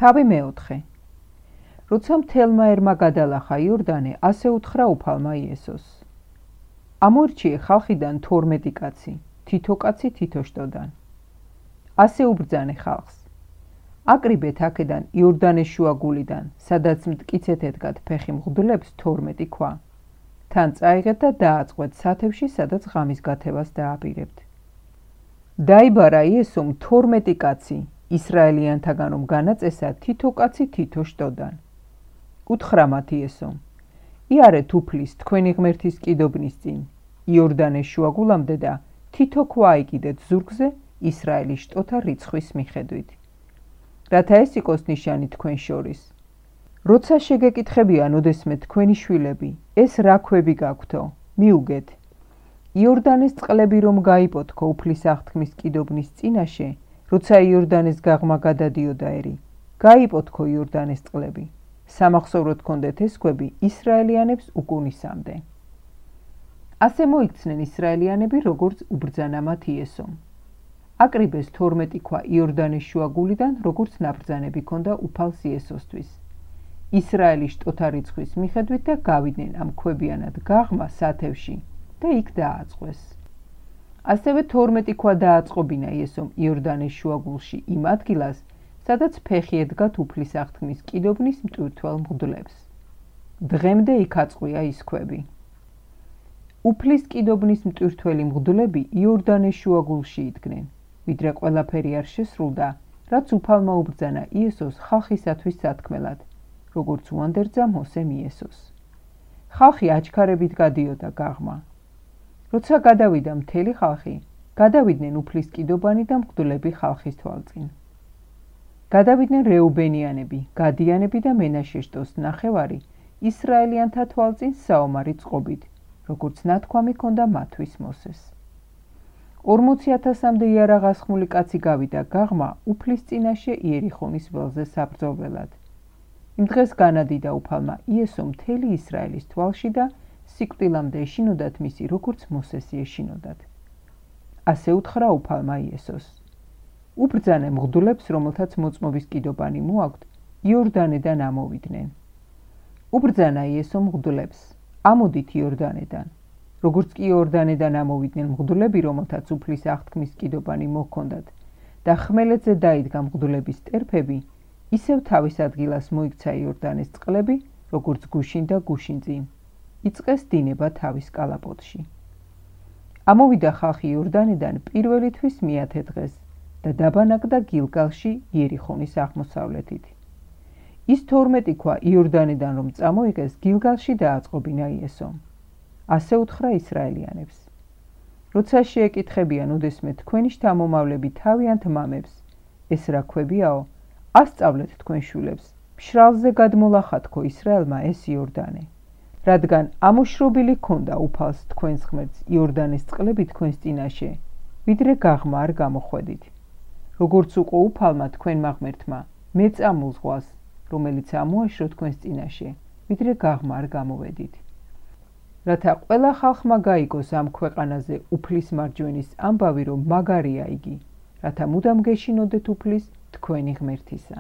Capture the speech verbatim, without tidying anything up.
თავი მეოთხე. როცა მთელმა ერმა გადალახა იორდანე, ასე უთხრა უფალმა იესოს. ამორჩიე ხალხიდან თორმეტი კაცი, თითო კაცი თითო შტოდან. ასე უბრძანე ხალხს. აკრიბეთ აქედან იორდანეს შუაგულიდან, სადაც მტკიცეთ ედგათ ფეხი მღვდლებს თორმეტი ქვა. თან წაიღეთ და დააწყვეთ სათევში, სადაც ღამის გათევას დააბირებთ. დაიბარა იესომ თორმეტი კაცი, ისრაელიანთაგან რომ განაწესა თითო კაცი თითო შტოდან. უთხრა მათ იესომ: იარეთ უფლის თქვენი ღმერთის კიდობნის წინ, იორდანეს შუაგულამდე და თითო ქვა აიკიდეთ ზურგზე ისრაელის შტოთა რიცხვის მიხედვით. რათა ეს იყოს ნიშანი თქვენ შორის. როცა შეგეკითხებიან ოდესმე თქვენი შვილები, ეს რა ქვები გაქვთო, მიუგეთ. იორდანეს წყლები რომ გაიპოთქო უფლის აღთქმის კიდობნის წინაშე, როცა იორდანეს გაღმა გადადიოდა ერი, გაიპოთქო იორდანეს წყლები. სამახსოვროდ ჰქონდეთ ეს ქვები ისრაელიანებს უკუნისამდე. ასე მოიქცნენ ისრაელიანები, როგორც უბრძანა მათ იესომ. აკრიბეს თორმეტი ქვა იორდანეს შუაგულიდან, როგორც ნაბრძანები ჰქონდა უფალს იესოსთვის. ისრაელის შტოთა რიცხვის მიხედვით და გავიდნენ ამ ქვებიანად გაღმა სათევში და იქ დააწყვეს. ასევე თორმეტი ქვა დააწყობინა იესომ იორდანეს შუაგულში იმ ადგილას, სადაც ფეხი ედგათ უფლის აღთქმის კიდობნის მტვირთვალ მღვდლებს. დღემდე იქ აწყვია ის ქვები. უფლის კიდობნის მტვირთველი მღვდლები იორდანეს შუაგულში იდგნენ, ვიდრე ყველაფერი არ შესრულდა, რაც უფალმა უბრძანა იესოს ხალხისათვის სათქმელად, როგორც უანდერძა მოსემ იესოს. ხალხი აჩქარებით გადიოდა გაღმა. როცა გადავიდა მთელი ხალხი, გადავიდნენ უფლის კიდობანი და მღვდლები ხალხის თვალწინ. გადავიდნენ რეუბენიანები, გადიანები და მენაშე შტოს ნახევარი ისრაელიანთა თვალწინ საომარი წყობით, როგორც ნათქვამი ჰქონდა მათთვის მოსეს. ორმოცი ათასამდე იარაღასხმული კაცი გავიდა გაღმა უფლის წინაშე იერიხონის ველზე საბრძოლველად. იმ დღეს განადიდა უფალმა იესომ მთელი ისრაელის თვალში და სიკვდილამდე ეშინოდათ მისი, როგორც მოსესი ეშინოდათ. ასე უთხრა უფალმა იესოს: უბრძანე მღვდლებს, რომელთაც მოწმობის კიდობანი მოაქვთ, იორდანედან ამოვიდნენ. უბრძანა იესომ მღვდლებს: ამოდით იორდანედან. როგორც კი იორდანედან ამოვიდნენ მღვდლები, რომელთაც უფლის აღთქმის კიდობანი მოჰქონდათ და ხმელეთზე დაიდგა მღვდლების ტერფები, ისევ თავის ადგილას მოიქცა იორდანეს წყლები, როგორც გუშინ და გუშინწინ. იწყეს დინება თავის კალაპოტში. ამოვიდა ხალხი იორდანედან პირველი თვის მეათე დღეს და დაბანაკდა გილგალში იერიხონის აღმოსავლეთით. ის თორმეტი ქვა იორდანედან რომ წამოიღეს, გილგალში დააწყობინა იესომ. ასე უთხრა ისრაელიანებს: როცა შეეკითხებიან ოდესმე თქვენი შთამომავლები თავიანთ მამებს, ეს რა ქვებიაო, ასწავლეთ თქვენ შვილებს, მშრალზე გადმოლახათქო ისრაელმა ეს იორდანე. რადგან ამოშრობილი ჰქონდა უფალს თქვენს ღმერთს იორდანეს წყლები თქვენს წინაშე, ვიდრე გაღმა არ გამოხვედით. როგორც უყო უფალმა თქვენმა ღმერთმა, მეწამულ ზღვას, რომელიც ამოაშრო თქვენს წინაშე, ვიდრე გაღმა არ გამოვედით. რათა ყველა ხალხმა გაიგოს ამ ქვეყანაზე უფლის მარჯვენის ამბავი, რომ მაგარია იგი, რათა მუდამ გეშინოდეთ უფლის თქვენი ღმერთისა.